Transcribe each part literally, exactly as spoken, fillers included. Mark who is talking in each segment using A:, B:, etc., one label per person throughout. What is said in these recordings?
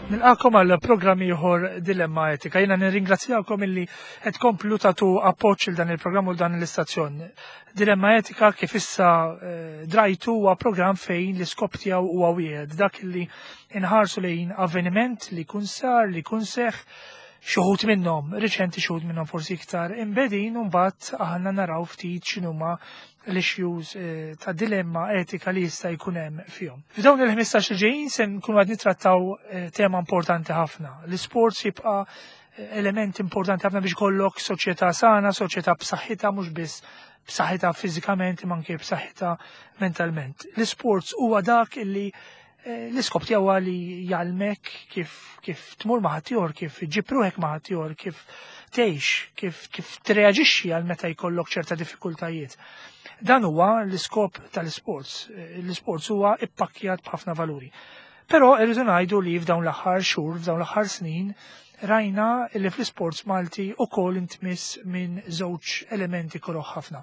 A: Nilqakom għal programm ieħor Dilemma Etika. Jiena nirringrazzjakom illi qed tkomplu tagħtu appoġġ il dan il-programm u dan l-istazzjon. Dilemma Etika, kif issa eh, drajtu, huwa programm fejn l-iskop tiegħu huwa wieħed, dak illi inħarsu lejn avveniment li jkun sar, li jkun seħ, xi wħud minnhom riċenti, xi wħud minnhom forsi iktar imbegħdin, u mbagħad aħna naraw ftit x'inhuma l-issues eh, ta' dilemma etika li jista' jkun hemm fihom. F'dawn il-ħmistax li ġejjin se nkunu qed nittrattaw eh, tema importanti ħafna. L-isports jibqa' eh, element importanti ħafna biex kollok soċjetà sana, soċjetà b'saħħitha, mhux biss b'saħħitha fiżikament imma anke b'saħħitha mentalment. L-isports huwa dak illi eh, l-iskop tiegħu li jgħallmek kif kif tmur ma' ħaddieħor, kif iġġib ruħek ma' ħaddieħor, kif tgħix, kif kif treaġixxi għal meta jkollok ċerta diffikultajiet. Dan huwa l-iskop tal-isports. L-isports huwa ippakkjat b'ħafna valuri. Però irridu ngħidu li f'dawn l-aħħar xhur, f'dawn l-aħħar snin, rajna li fl-isports Malti ukoll intmiss minn żewġ elementi koroħ ħafna.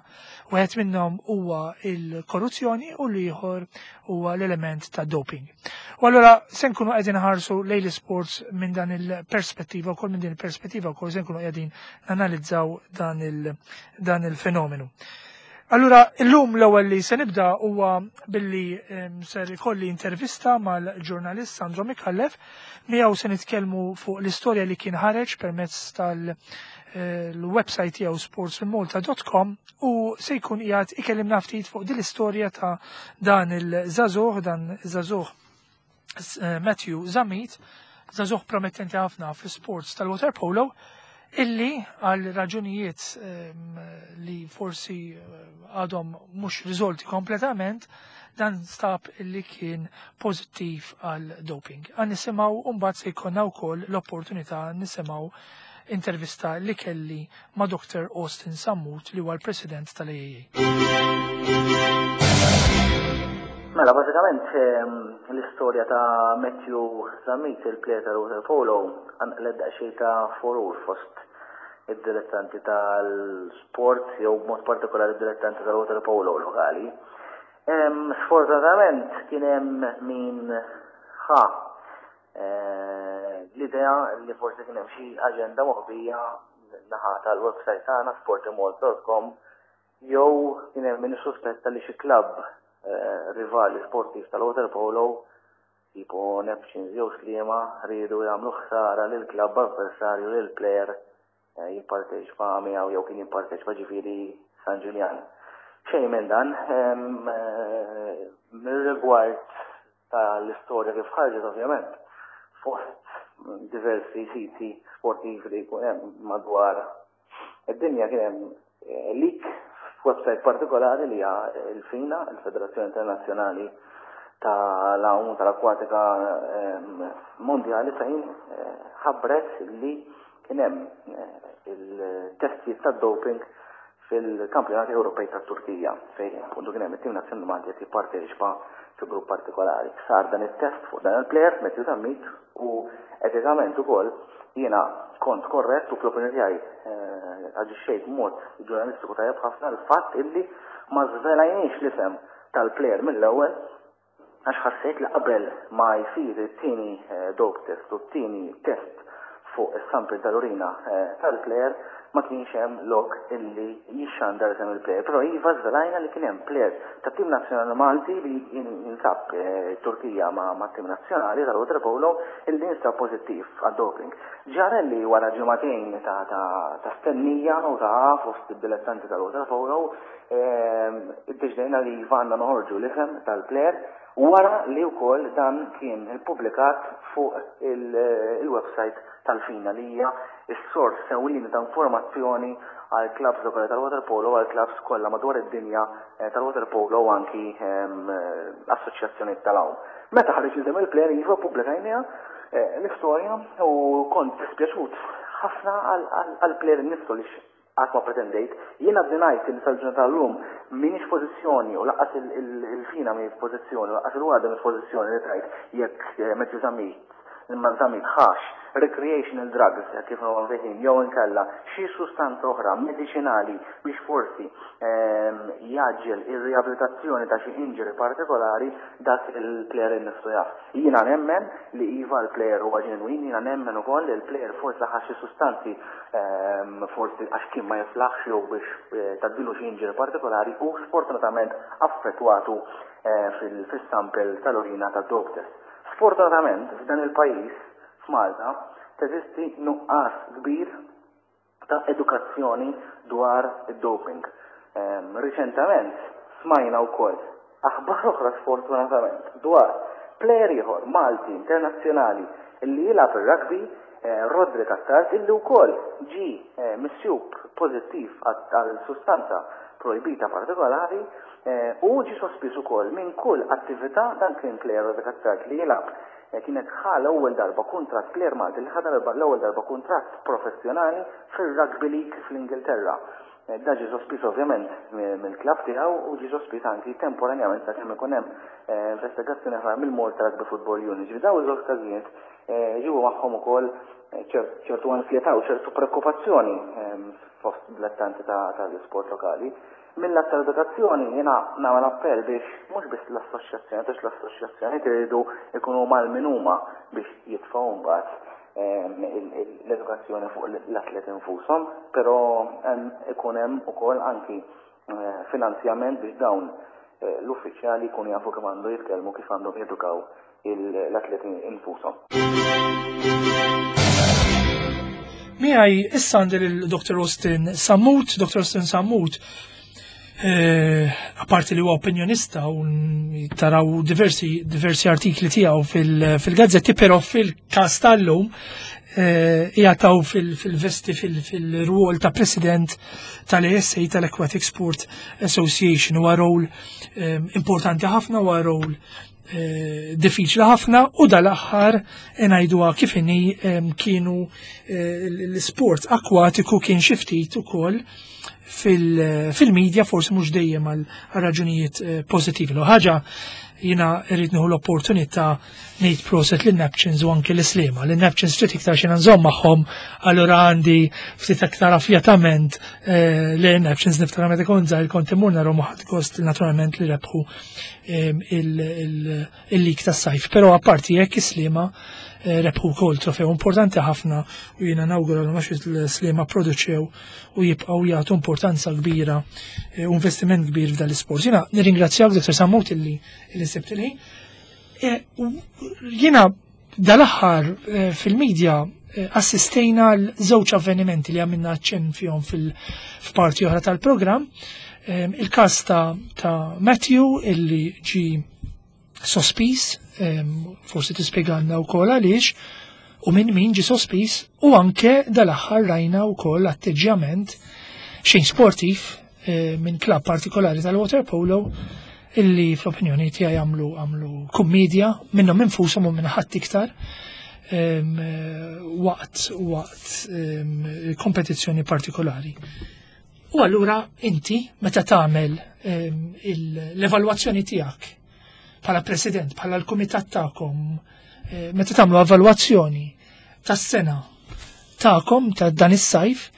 A: Wieħed minnhom huwa il-korruzzjoni u l-ieħor huwa l-element ta' doping. U allura se nkunu qegħdin ħarsu lejn l-isports minn dan il-perspettiva wkoll, minn din il-perspettiva wkoll se nkunu qegħdin nanalizzaw dan il- dan il-fenomenu. Allura, illum l-ewwel li se nibda huwa billi ser ikolli intervista mal-ġurnalist Sandro Micallef. Miegħu se nitkellmu fuq l-istorja li kien ħareġ permezz tal-website tiegħu sports in malta dot com u se jkun qiegħed ikellimna ftit fuq din l-istorja ta' dan il-żagħżugħ, dan iż-żagħżugħ eh, Matthew Zammit, żagħżugħ promettenti ħafna fl-sports tal-waterpolo, illi għal raġunijiet li forsi għadhom mhux riżolti kompletament, dan stab illi kien pożittiv għal doping. Għan nisimgħu u mbagħad se jkollna wkoll l-opportunità nisimgħu intervista li kelli ma' Doctor Austin Sammut, li huwa l-President tal-A A A.
B: Mela, bażikament l-istorja ta' Matthew Zammit, il-player tal-waterpolo, qanqlet daqsxejn ta' furur fost id-dilettanti tal-sport, jew b'mod partikolari id-dilettanti tal-waterpolo lokali. Sfortunatament kien hemm min ħa eh, l-idea li forsi kien hemm xi aġenda moħbija naħa tal-website tagħna sportimmalta dot com, jew kien hemm min suspetta li xi klabb eh, rivali sportiv tal-waterpolo tipo Neptunes jew Sliema riedu jagħmlu ħsara lil klabb avversarju lil player eh, jipparteċipa miegħu jew kien jipparteċipa, ġifieri San Ġiljan. Xejn minn dan, eh, mir-rigward tal-istorja kif ħarġet, ovvjament, fost diversi siti sportivi li jkun hemm madwar id-dinja, kien hemm eh, leak f'website partikolari li hija l-FINA, il-Federazzjoni Internazzjonali tal-Għawm tal-Akwatika Mondjali, fejn eh, ħabbret li kien hemm eh, il-testijiet tad-doping fil-kampjonati Ewropej tat-Turkija, fejn appuntu kien hemm it-tim nazzjonali Malti qed jipparteċipa fi grupp partikolari. Sar dan it-test fuq dan il-player Matthew Zammit u etikament ukoll jiena kont korrett u fl-opinjoni tiegħi eh, aġixxejt b'mod ġurnalistiku tajjeb ħafna l-fatt illi ma żvelajniex l-isem tal-player mill-ewwel, għax ħassejt li qabel ma jsir it-tieni eh, dope test u t-tieni test fuq is-sample tal-urina eh, tal-player, ma kienx hemm lok illi jixxandar isem il-player. Però iva, żvelajna li kien hemm player tat-tim nazzjonali Malti li jinsab eh, Turkija ma' ma' tim nazzjonali tal-waterpolo illi jinsab pożittiv għad-doping. Ġara li wara ġimagħtejn ta' ta' ta' stennija u ta' fost id-dilettanti tal-waterpolo, iddeċidejna li iva, għandna noħorġu l-isem tal-player. Wara li wkoll dan kien ippubblikat fuq il-website tal-FINA, li hija s-sors ewlieni ta' informazzjoni għal clubs lokali tal-waterpolo, għal clubs kollha madwar id-dinja eh, tal-waterpolo u anki ehm, assoċjazzjoni tal-għawm. Meta ħareġ isem il-player, iva, pubblikajniha eh, l-istorja u kont dispjaċut ħafna għal-player innifsu li qatt ma pretendejt. Jiena ngħid li sal-ġurnata tal-lum m'iniex pożizzjoni u lanqas il-FINA mhi pożizzjoni u lanqas il-WADA mhi pożizzjoni li tgħid jekk eh, Matthew Zammit imma Zammit ħax recreational drugs, kif msejħin, jew inkella xi sustanza oħra medicinali biex forsi ehm, jgħaġġel ir-riabilitazzjoni ta' xi injury partikolari, dak il-player innifsu jaf. Jiena nemmen li iva, l-player huwa ġenwin, jiena nemmen ukoll li l-player forsi ħa xi sustanzi ehm, forsi għax kien ma jiflaħx jew biex eh, tgħaddilu xi injury partikolari u sfortunatament affettwatu eh, fil-sample tal-urina ta' dope test. Sfortunatament, f'dan il-pajjiż, f'Malta, teżisti nuqqas kbir ta' edukazzjoni dwar id-doping. Um, Riċentament smajna wkoll aħbar oħra, sfortunatament, dwar player ieħor Malti internazzjonali illi jilgħab ir-rugby, eh, Roderick Attard, illi wkoll ġi eh, misjub pożittiv għal sustanza projbita partikolari eh, u ġi sospiż ukoll minn kull attività. Dan kien player, Roderick Attard, li jilgħab, eh, kienet ħa l-ewwel darba kuntratt, player Malti li ħa l-ewwel darba kuntratt professjonali fir-Rugby League fl-Ingilterra. Eh, da ġi sospiż ovvjament mill-klabb tiegħu u ġi sospiż anki temporanjament sakemm ikun hemm investigazzjoni oħra mill-Malta Rugby Football Union. Ġifieri dawn iż-żewġ każijiet ġibu magħhom ukoll ċertu ansjetà u ċertu preokkupazzjoni fost dilettanti tal-isport lokali. Mill-lat tal-edukazzjoni jiena nagħmel appell biex mhux biss l-assoċjazzjoni, għax l-assoċjazzjoni tridu ikunu mal-min huma biex jitfgħu mbagħad l-edukazzjoni fuq l-atleti infushom, però ikun hemm ukoll anki eh, finanzjament biex dawn eh, l-uffiċjali jkunu jafu kif għandu jitkellmu, kif għandhom jedukaw l-atleti infushom.
A: Miegħi issa għandi l-Doktor Austin Sammut. Doktor Austin Sammut, eh, apparti li huwa opinjonista u taraw diversi, diversi artikli tiegħu fil-gazzetti, però fil-każ tal-lum eh, jgħataw fil-vesti fil-rwol ta' president tal-A S A, tal-Aquatic Sport Association. Huwa rol eh, importanti ħafna, huwa rol eh, diffiċli ħafna u dal-aħħar, ngħiduha kif inhi, kienu l-sport akwatiku kien xi ftit ukoll fil-medja, forsi mhux dejjem għal raġunijiet eh, pożittivi. L ħaġa, jiena rrid nieħu l-opportunità ngħid proset lin Neptunes u anke l-Sliema. Lin Neptunes ftit iktar xi nżomm magħhom, allura għandi ftit aktar affjatament eh, li Neptunes. Niftakar meta kont żgħir kont immur narahom u ħadt gost naturalment li rebħu il-lig tas-sajf. Però apparti hekk, is-Sliema eh, rebħu wkoll trofew importanti ħafna u jiena nawgura l għax il-Sliema produċew u jibqgħu jagħtu importanza kbira eh, u investiment kbir f'dan l-isport. Jiena nirringrazzjak, Doktor Sammut, illi illi sibt il-ħin. Eh, jiena dal-aħħar fil-medja assistejna l-żewġ avvenimenti li għamilna ċen fihom fil-parti oħra tal-programm. Il-każ ta', ta Matthew illi ġi sospiż, forsi tispjegalna wkoll għaliex u minn min ġi sospiż, u anke dal-aħħar rajna wkoll atteġġjament xejn sportiv eh, minn klabb partikolari tal-waterpolo illi fl-opinjoni tiegħi għamlu għamlu kummedja minnhom infushom u minn ħadd iktar waqt waqt kompetizzjoni partikolari. U allura inti meta tagħmel l-evalwazzjoni tiegħek bħala president, bħala l-kumitat tagħkom, eh, meta tagħmlu evalwazzjoni tas-sena tagħkom ta' dan is-sajf,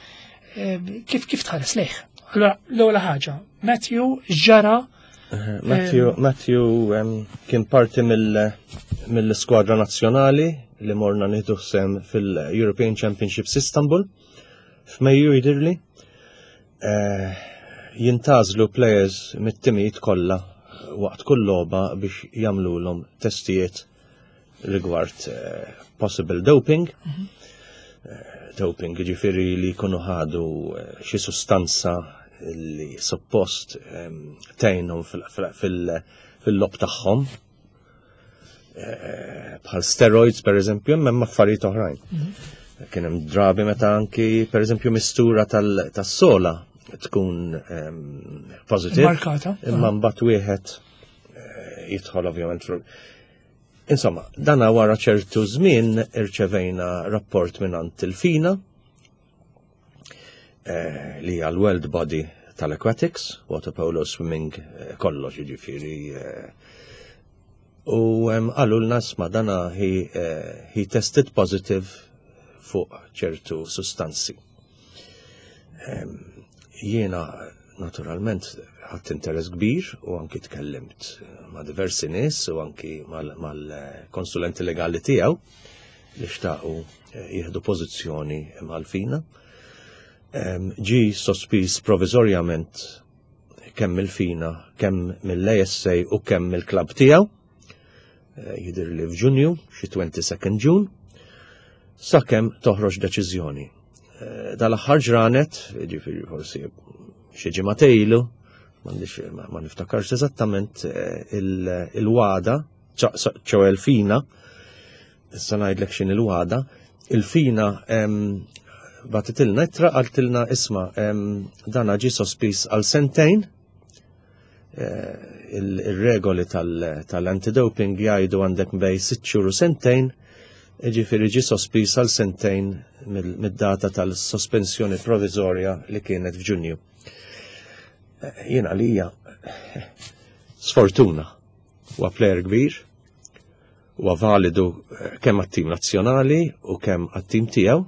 A: kif kif tħares lejh? Allora, l-ewwel ħaġa, Matthew, ġara?
C: Matthew, Matthew kien parti mill-skwadra nazzjonali li morna nieħdu sehem fil-European Championships Istanbul f'Mejju, jidirli. Eh, jintgħażlu players mit-timijiet kollha waqt kull logħba biex jagħmluhom testijiet rigward eh, possible doping. Mhm. Eh, doping ġifieri li jkunu ħadu xi sustanza li suppost tgħinhom fil-logħob tagħhom. Eh, bħal steroids, per eżempju, hemm affarijiet oħrajn. Kien hemm drabi meta anki, per eżempju, mistura tas-sola tkun ehm, positive.
A: Markata.
C: Imma mbagħad wieħed eh, jidħol ovvjament fl Insomma, dana wara ċertu żmien irċevejna rapport minn il-FINA eh, li hija l-World Body tal-Aquatics, water polo, swimming, eh, kollox jiġifieri. U qalulna, isma', dana he, he tested positive fuq ċertu sustanzi. Jiena naturalment ħadt interess kbir u anki tkellimt ma' diversi nies u anki mal-konsulenti legali tiegħu li xtaqu eh, jieħdu pożizzjoni mal-FINA. Ġi sospiż provizorjament kemm mill-FINA, kemm mill-A S A u kemm mill-klab tiegħu. Eh, Jidher li f'Ġunju, xi twenty-second June, sakemm toħroġ deċiżjoni. Eh, dal-aħħar ġranet, ġifieri forsi xi ġimgħa ilu, m'għandix ma niftakarx eżattament, eh, il-WADA, ċoè il-FINA, issa ngħidlek x'inhi il-WADA, il-FINA bagħtitilna ittra, qaltilna, isma', dana ġi sospiż għal sentejn, eh, il-regoli tal-antidoping jgħidu għandek bejn sitt xhur u sentejn, ġifieri ġi sospiż għal sentejn mid-data tal-sospensjoni provizorja li kienet f'Ġunju. Jiena li hija sfortuna. Huwa player kbir, huwa validu eh, kemm għat-tim nazzjonali u kemm għat-tim tiegħu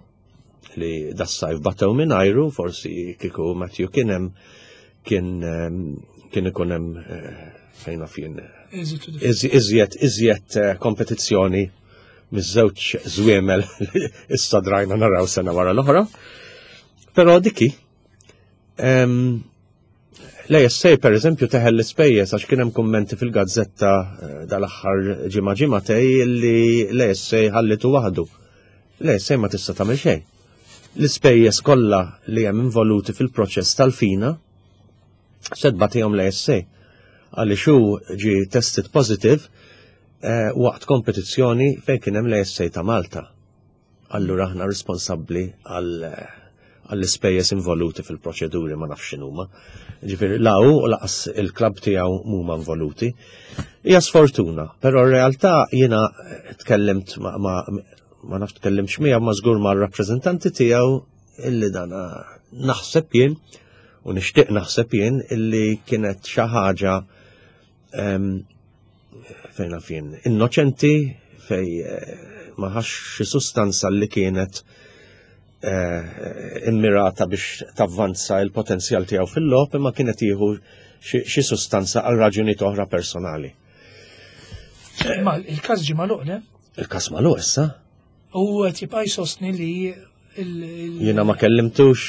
C: li das-sajf batew mingħajru. Forsi kieku Matthew kien hemm kien ehm, kien ikun hemm eh, fejn fien iżjed iżjed eh, kompetizzjoni miż-żewġ żwiemel li issa drajna naraw sena wara l-oħra. Però diki, l-A S A per eżempju teħel l-ispejjeż għax kien hemm kummenti fil-gazzetta eh, dal-aħħar ġimgħa ġimagħtejn li l-A S A ħallitu waħdu. L-A S A ma tista' tagħmel xejn. L-ispejjeż kollha li hemm involuti fil-proċess tal-FINA se tbatihom l-A S A għaliex hu ġi tested positive eh, waqt kompetizzjoni fejn kien hemm l-A S A ta' Malta. Allura aħna responsabbli għal għall-ispejjeż involuti fil-proċeduri, ma nafx x'inhuma. Ġifieri la hu u lanqas il-klabb tiegħu mhuma involuti. Hija sfortuna, però r-realtà jiena tkellimt ma, ma, ma nafx tkellimx miegħu, ma żgur ma' rappreżentanti tiegħu illi dan naħseb jien u nixtieq naħseb jien illi kienet xi ħaġa fejn naf jien innoċenti, fej eh, ma ħax xi sustanza li kienet eh, immirata biex tavvanza il-potenzjal tiegħu fil-logħob, imma kienet jieħu xi sustanza għal raġunijiet oħra personali.
A: Ma il-każ ġie magħluq, le?
C: Il-każ magħluq issa.
A: U qed jibqa' jsostni li il-
C: Jiena ma kellimtux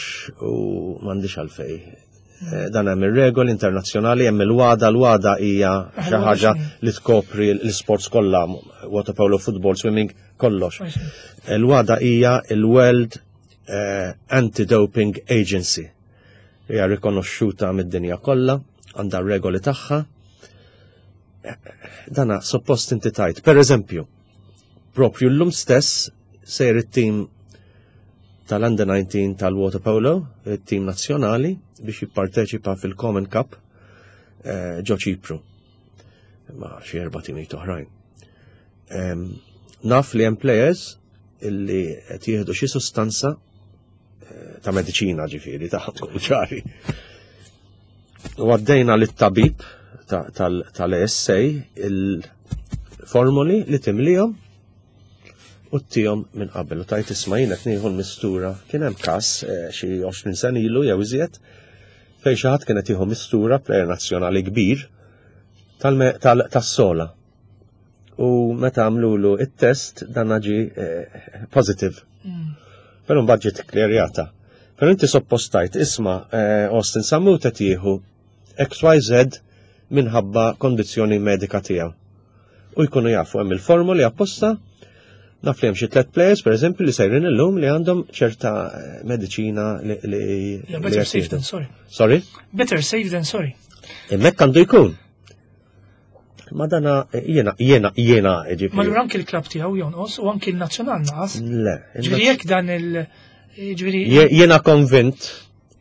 C: u m'għandix għalfej. Eh, Dan hemm ir-regoli internazzjonali, hemm il-WADA, l-WADA hija xi ħaġa li tkopri l-sports kollha, water polo, football, swimming, kollox. Il-WADA hija il-World eh, Anti-Doping Agency. Hija rikonoxxuta mid-dinja kollha, għandha regoli tagħha. Dana suppost inti tajt. Per eżempju, propju l-lum stess sejr it-tim tal-Under nineteen tal-Water Polo, il-tim nazzjonali, biex jipparteċipa fil-Common Cup eh, ġo Ċipru. Ma xi erba' timijiet oħrajn. Em, Naf li hemm players illi qed jieħdu xi sustanza eh, ta' mediċina, ġifieri ta' tkun ċari. U għaddejna lit-tabib tal-A S A il-formuli li timlihom u ttihom minn qabel u tgħid, isma', jien qed nieħu l-mistura. Kien hemm każ eh, xi għoxrin sena ilu jew iżjed fejn xi ħadd kien qed jieħu mistura, player nazzjonali kbir, tas-sola. U meta għamlulu it-test dan ġi eh, positive. Mm. Però mbagħad ġiet klerjata. Però inti suppost tgħid, isma', eh, Austin Sammut qed jieħu X Y Z minħabba kondizzjoni medika tiegħu. U jkunu jafu, hemm il-formuli apposta. Naf li hemm xi tliet players, pereżempju, li sejrin illum li għandhom ċerta eh, mediċina li li
A: Yeah, better safe than sorry.
C: Sorry?
A: Better safe than sorry.
C: Hemmhekk għandu jkun. Ma dana jiena jiena jiena ġifieri.
A: Ma allura anki l-klab tiegħu jonqos u anki l-nazzjonal naqas.
C: Le.
A: Ġifieri jekk dan il- ġifieri
C: Jiena konvint,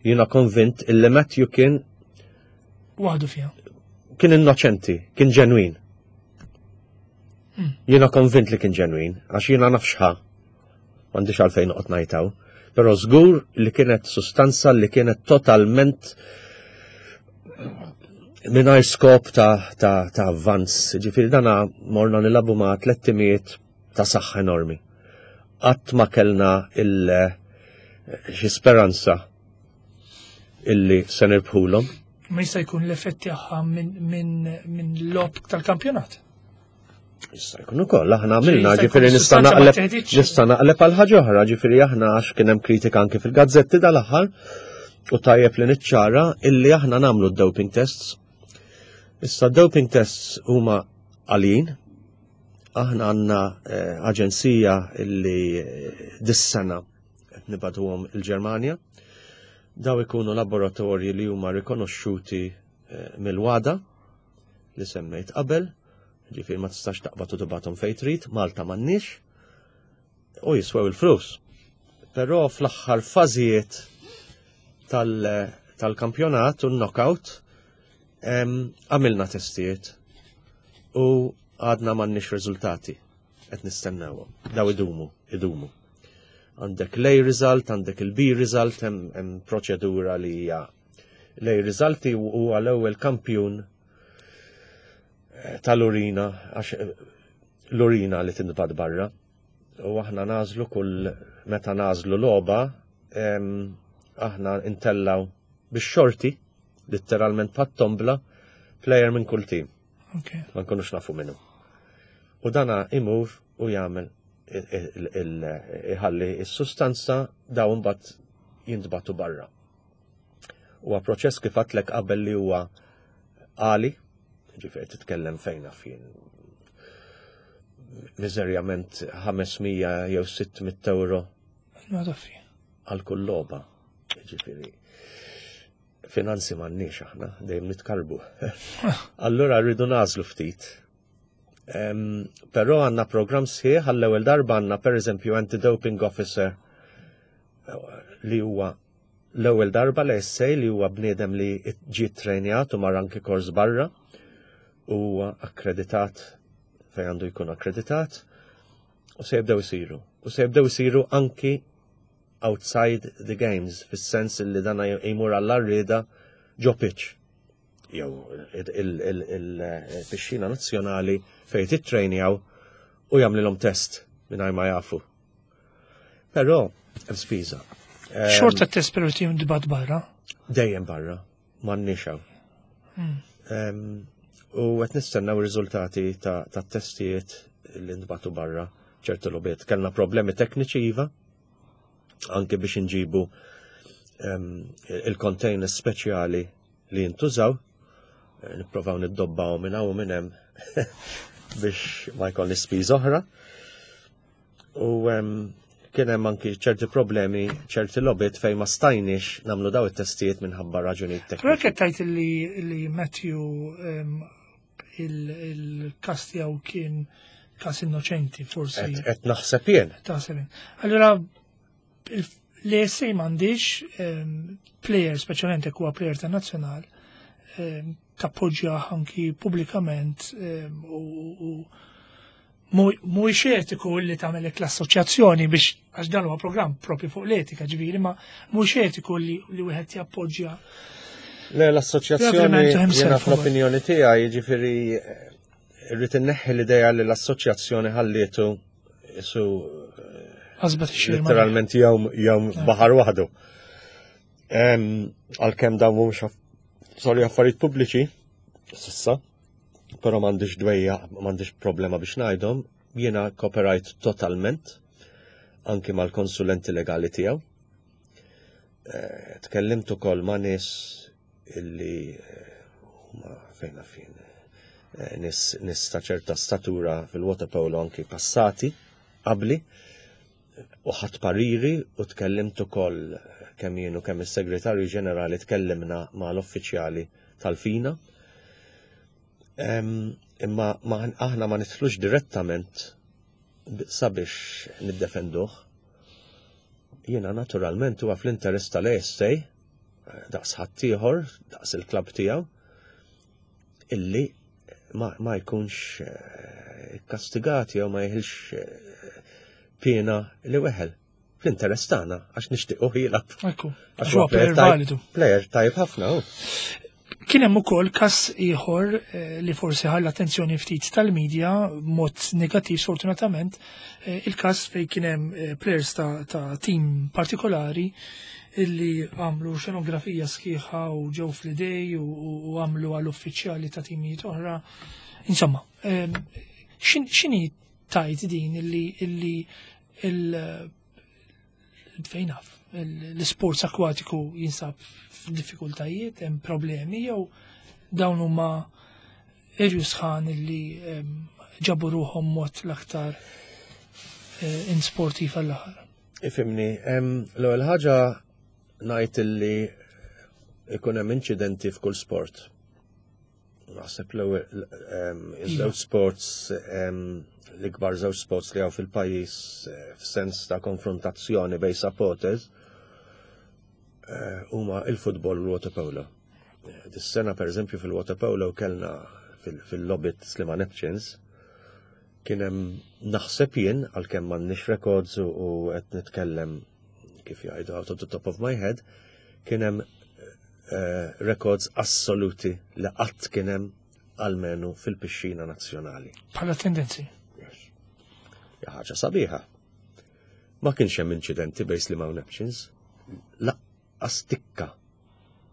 C: jiena konvint illi Matthew kien
A: waħdu fiha.
C: Kien innoċenti, kien ġenwin.
A: Hmm.
C: Jiena konvint li kien ġenwin, għax jiena naf x'ħa. M'għandix għalfejn noqgħod ngħidha. Però żgur li kienet sustanza li kienet totalment mingħajr skop ta', ta, ta' avvanz. Ġifieri dana morna nilagħbu ma' tliet timijiet ta' saħħa enormi. Qatt ma kellna il xi speranza illi se nirbħulhom.
A: Ma jista' jkun l-effett tagħha minn min, min logħob tal-kampjonat.
C: Jista' jkun ukoll, aħna għamilna,
A: Jista' jkun
C: ġifieri nista'
A: sustanza ma
C: naqleb
A: teħditx.
C: nista' naqleb għal ħaġa oħra, ġifieri aħna għax kien hemm kritika anke fil-gazzetti dal-aħħar u tajjeb li niċċara illi aħna nagħmlu d-doping tests. Issa doping tests huma għalijin. Aħna għandna eh, aġenzija illi eh, dis-sena qed nibagħtuhom il-Ġermanja. Daw ikunu laboratorji li huma rikonoxxuti eh, mill-WADA li semmejt qabel, ġifieri ma tistax taqbad u tibgħathom fejn trid, Malta m'għandniex, u jiswew il-flus. Però fl-aħħar fażijiet tal- tal-kampjonat u knockout em, għamilna testijiet u għadna m'għandniex riżultati qed nistennewhom. Daw idumu, idumu. Għandek l-A result, għandek il-B result, hemm hemm proċedura li hija l-A result huwa l-ewwel kampjun eh, tal-urina, għax eh, l-urina li tintbagħat barra. U aħna nagħżlu kull meta nagħżlu logħba, em, aħna intellaw bix-xorti, letteralment pat-tombla, player minn kull team.
A: Okay.
C: Ma nkunux nafu minnu. U dana imur u jagħmel iħalli is-sustanza, dawn mbagħad jintbagħtu barra. Huwa proċess, kif għedtlek qabel, li huwa għali, ġifieri titkellem fejn jien miżerjament ħames mija jew sitt mitt euro
A: Ma taffi.
C: għal kull logħba. Ġifieri finanzi m'għandniex aħna, dejjem nitkarbu. Allura rridu nagħżlu ftit. Em, Però għandna program sħiħ. Għall-ewwel darba għandna, per eżempju, anti-doping officer eh, li huwa l-ewwel darba l essej li huwa bniedem li ġie trejnjat u mar anki kors barra u huwa akkreditat fejn għandu jkun akkreditat u se jibdew isiru. U se jibdew isiru anki outside the games, fis-sens li dana jmur għall-arrieda ġo pitch jew il-pixxina nazzjonali fejn titrejnjaw u jagħmlilhom test mingħajr ma jafu. Però hemm spiża. Em,
A: Xorta test però jintbagħat barra.
C: Dejjem barra, m'għandniex hawn. Em, U qed nistennew riżultati ta' ta' testijiet li ntbagħtu barra ċertu logħbiet. Kellna problemi tekniċi iva, anke biex inġibu em, il-containers speċjali li jintużaw, eh, nipprovaw niddobbaw minn hawn u minn hemm biex ma jkollni spiża oħra. U em, kien hemm anki ċerti problemi, ċerti logħbiet fejn ma stajniex nagħmlu daw it-testijiet minħabba raġunijiet
A: Però
C: tekniċi.
A: qed tgħid li li Matthew em, il- il-kas tiegħu kien kas innoċenti forsi.
C: Qed qed naħseb jien.
A: Taħseb. Allura l-E S A m'għandix em, player, speċjalment jekk huwa player ta' nazzjonal, em, tappoġġja anki pubblikament em, u u mhuwiex etiku li tagħmel hekk l-assoċjazzjoni biex, għax dan huwa programm propju fuq l-etika, ġifieri, ma mhuwiex etiku li li wieħed jappoġġja.
C: Le, l-assoċjazzjoni
A: Propriamente himself,
C: jiena fl-opinjoni tiegħi, jiġifieri rrid inneħħi l-idea li l-assoċjazzjoni ħallietu su
A: Għasbet ix-xirma.
C: Literalment jgħum jgħum baħar waħdu. Em, Għalkemm dawn mhumiex aff- sorry, affarijiet pubbliċi, s'issa, però m'għandix dwejja, m'għandix problema biex ngħidhom, jiena cooperate totalment anki mal-konsulenti legali tiegħu. Eh, Tkellimt ukoll ma' nies illi eh, huma fejn fin eh, nies nies ta' ċerta statura fil-waterpolo anki passati qabli u ħadt pariri u tkellimt ukoll kemm jien u kemm is-segretarju ġenerali tkellimna mal-uffiċjali tal-FINA. Em, Imma aħna ma nidħlux direttament sabiex niddefenduh. Jiena naturalment huwa fl-interess tal-A S A daqs ħaddieħor, daqs il-klab tiegħu, illi ma, ma jkunx eh, kastigat jew ma jeħilx eh, piena li weħel. Fl-interess tagħna għax nixtiequ jilgħab.
A: Għax huwa player validu.
C: Player tajb ħafna.
A: Kien hemm ukoll każ ieħor eh, li forsi ħalla attenzjoni ftit tal-medja mod negattiv, sfortunatament, il-każ fejn kien hemm players ta', ta team partikolari illi għamlu xenografija sħiħa u ġew fl-idej u għamlu għall-uffiċjali ta' timijiet oħra. Insomma, x'inhi tajt din illi illi il fejn naf, l-sports akwatiku jinsab f'diffikultajiet, hemm problemi jew dawn huma irju sħan illi ġabu ruħhom mod l-aktar eh, insportiv għall-aħħar?
C: Ifhimni, l-ewwel ħaġa ngħid illi ikun hemm inċidenti f'kull sport. Naħseb l-ewwel iż-żewġ sports, l-ikbar żewġ sports li hawn fil-pajjiż eh, f'sens ta' konfrontazzjoni bejn supporters eh, huma il-futbol u l-waterpolo. Eh, dis-sena, pereżempju, fil-waterpolo kellna fil-logħbiet Sliema Neptunes kien hemm, naħseb jien, għalkemm m'għandniex records u qed nitkellem, kif jgħidu, out of the top of my head, kien hemm uh, records assoluti li qatt kien hemm almenu fil-pixxina nazzjonali.
A: Bħala tendenzi.
C: Yes. Ħaġa sabiħa. Ma kienx hemm inċidenti bejn Sliema u Neptunes. Lanqas tikka.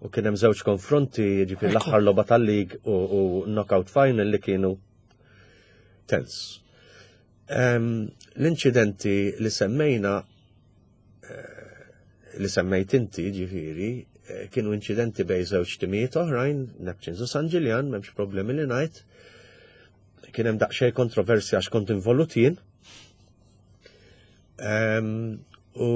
C: U kien hemm żewġ konfronti, ġifieri l-aħħar logħba tal-league u, u knockout final li kienu tens. Um, L-inċidenti li semmejna, eh, li semmejt inti, ġifieri, eh, kienu inċidenti bejn żewġ timijiet oħrajn, Neptunes u San Ġiljan, m'hemmx problemi li ngħid. Kien hemm daqsxejn kontroversja għax kont involut jien. Um, u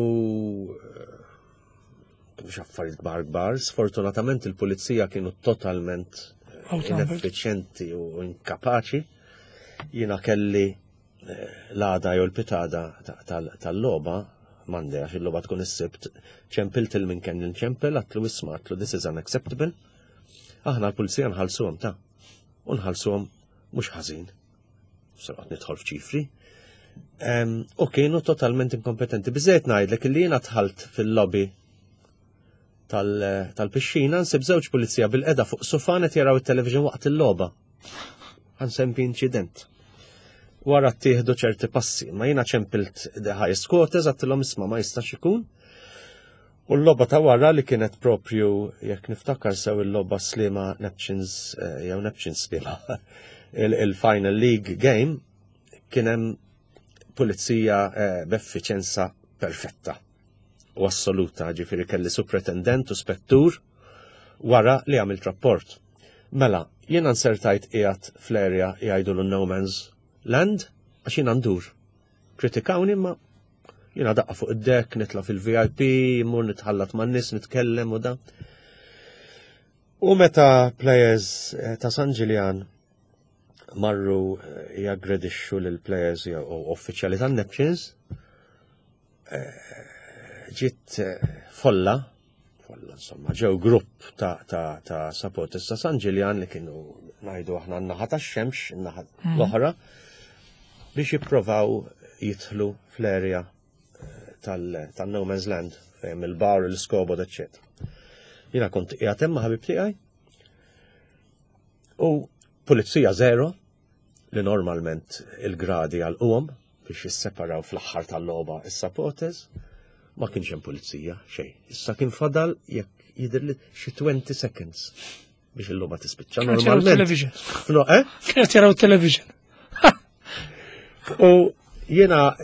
C: kienu affarijiet kbar kbar, sfortunatament il-pulizija kienu totalment ineffiċjenti u inkapaċi. Jiena kelli eh, l-għada jew il-pitgħada tal-logħba, Monday, għax il-logħba tkun is-Sibt, ċempilt lil min kelli nċempel, għedtlu, "Isma'," għedtlu, "this is unacceptable." Aħna l-pulizija nħallsuhom ta' u nħallsuhom mhux ħażin. Saqat nidħol f'ċifri. U kienu totalment inkompetenti. Biżejt ngħidlek li jiena dħalt fil-lobby tal-pixxina, nsib żewġ pulizija bilqiegħda fuq sufan qed jaraw it-television waqt il-logħba. Ħa nsemmi inċident. Wara ttieħdu ċerti passi, ma jiena ċempilt the highest quarters, għedtilhom, "Isma', ma jistax ikun." U l-logħba ta' wara li kienet propju, jekk niftakar sew, il-logħba Sliema Neptunes eh, jew Neptunes Sliema, il-Final League game, kien hemm pulizija eh, b'effiċenza perfetta u assoluta, ġifieri kelli superintendent u spettur wara li għamilt rapport. Mela, jiena nsertajt qiegħed fl-area jgħidu l-no man's land għax jiena ndur. Kritikawni, ma jiena daqqa fuq id-deck, nitla fil-V I P, mur nitħallat man nies, nitkellem u da. U meta players eh, ta' San Ġiljan marru eh, jaggredixxu lil players u uffiċjali tan Neptunes, eh, ġiet folla, folla insomma, ġew grupp ta', ta, ta' supporters ta' San Ġiljan li kienu, ngħidu aħna, n-naħa tax-xemx, n-naħa mhm. l-oħra, biex jipprovaw jidħlu fl-area tal-No Man's Land, fejn il-bar, il-scoreboard, eccetera. Jiena kont qiegħed hemm ma' ħabib tiegħi. U pulizija zero, li normalment il-gradi għal biex jisseparaw fl-aħħar tal-logħba is-supporters, ma kienx hemm pulizija xejn. Issa kien fadal, jekk jidher li, xi twenty seconds biex il-logħba tispiċċa normalment.
A: Television.
C: No, eh?
A: Kienet jaraw television.
C: U jiena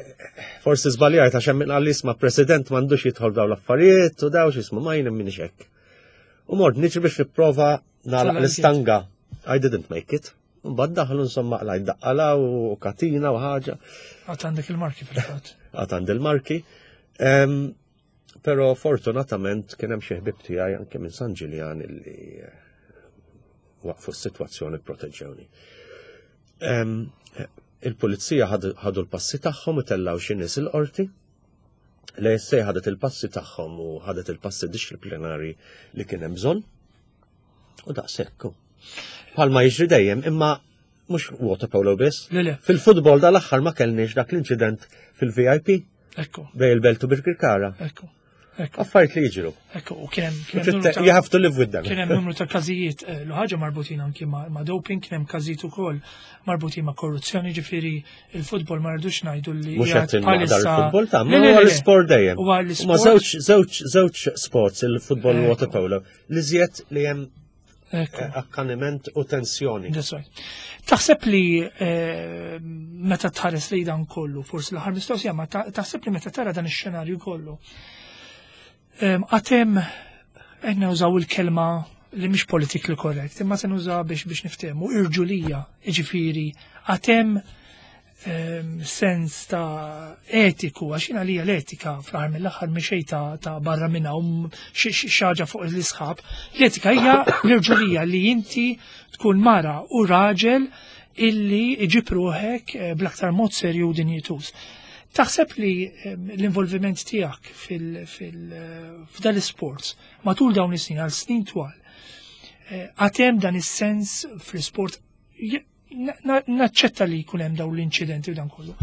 C: forsi żbaljajt għax hemm min isma', president m'għandux jidħol daw l-affarijiet u daw x'ismu, ma jien minni hekk. U mort niġri biex nipprova nagħlaq l-istanga. I didn't make it. Mbagħad daħlu, insomma, qlajt daqqala u katina u ħaġa.
A: Għad għandek il-marki fil-fatt.
C: Għad għandi il-marki. Pero fortunatament kien hemm xi ħbib tiegħi anke minn San Ġiljan illi eh, waqfu s-sitwazzjoni, proteġġewni. Em, Il-pulizija ħadu ħadu l-passi tagħhom u tellaw xi nies il-qorti. L-A S A ħadet il-passi tagħhom u ħadet il-passi dixxiplinari li kien hemm bżonn. U daqshekk. Bħalma jiġri dejjem, imma mhux water polo biss.
A: Le, le.
C: Fil-futbol dal-aħħar ma kellniex dak l-inċident fil-V I P
A: Ekku,
C: bejn il-Belt u Birkirkara.
A: ekku, ekku.
C: Affarijiet li jiġru.
A: Ekku, u kien hemm kien hemm numru ta'
C: You have to live with them.
A: Kien hemm numru ta' każijiet eh, l ħaġa marbutin anki ma' ma' doping, kien hemm każijiet ukoll marbutin ma' korruzzjoni, ġifieri il-futbol ma rridux ngħidu li
C: Mhux
A: qiegħed
C: qed inmaqdar
A: bħalissa-
C: il-futbol ta'
A: Le,
C: ma
A: le,
C: huwa
A: le, le.
C: l-sport dejjem.
A: Huwa
C: Ma
A: l-isport.
C: żewġ żewġ żewġ sports, il-futbol u
A: Ekku.
C: water polo, li żjed li hemm
A: Ekku.
C: eh, akkaniment u tensjoni.
A: That's right. Taħseb li eh, meta tħares li dan kollu, forsi l-aħħar mistoqsija, ma ta- taħseb li meta tara dan ix-xenarju kollu, em, għad hemm, qed nużaw il-kelma li mhix politically correct, imma se nużaw biex biex niftehmu, irġulija, jiġifieri, għad hemm em, sens ta' etiku, għax jiena li l-etika fl-aħħar mill-aħħar mixej ta' ta' barra minna u xi xi ħaġa fuq l-isħab. L-etika hija l-irġulija li inti tkun mara u raġel illi iġib ruħek eh, bl-aktar mod serju u dinjituż. Taħseb li em, l-involviment tiegħek fil- fil- eh, f'dal sports matul dawn is-snin, għal snin twal, eh, għad hemm dan is-sens fl-sport? Je- na- na- naċċetta li jkun hemm dawn l-inċidenti u dan kollu.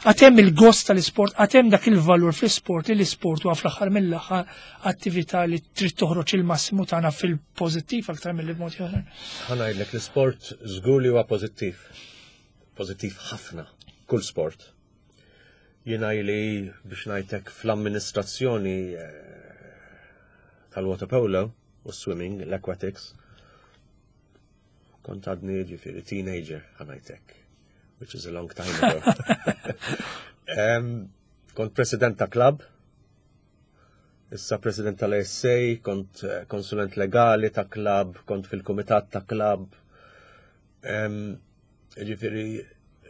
A: Għad hemm il-gost tal-isport, għad hemm dak il-valur fl-isport li l-isport huwa fl-aħħar mill-aħħar attività li trid toħroġ il-massimu tagħna fil-pożittiv aktar mill mod ieħor.
C: Ħa ngħidlek, l-sport żgur li huwa pożittiv. Pożittiv ħafna, kull sport. Jiena li biex ngħidlek fl-amministrazzjoni eh, tal-water polo u swimming, l-aquatics, kont għadni ġifieri teenager, ħa ngħidlek, which is a long time ago. Em, kont president ta' club, issa president tal-A S A, kont eh, konsulent legali ta' club, kont fil-komitat ta' club. Em, Ġifieri,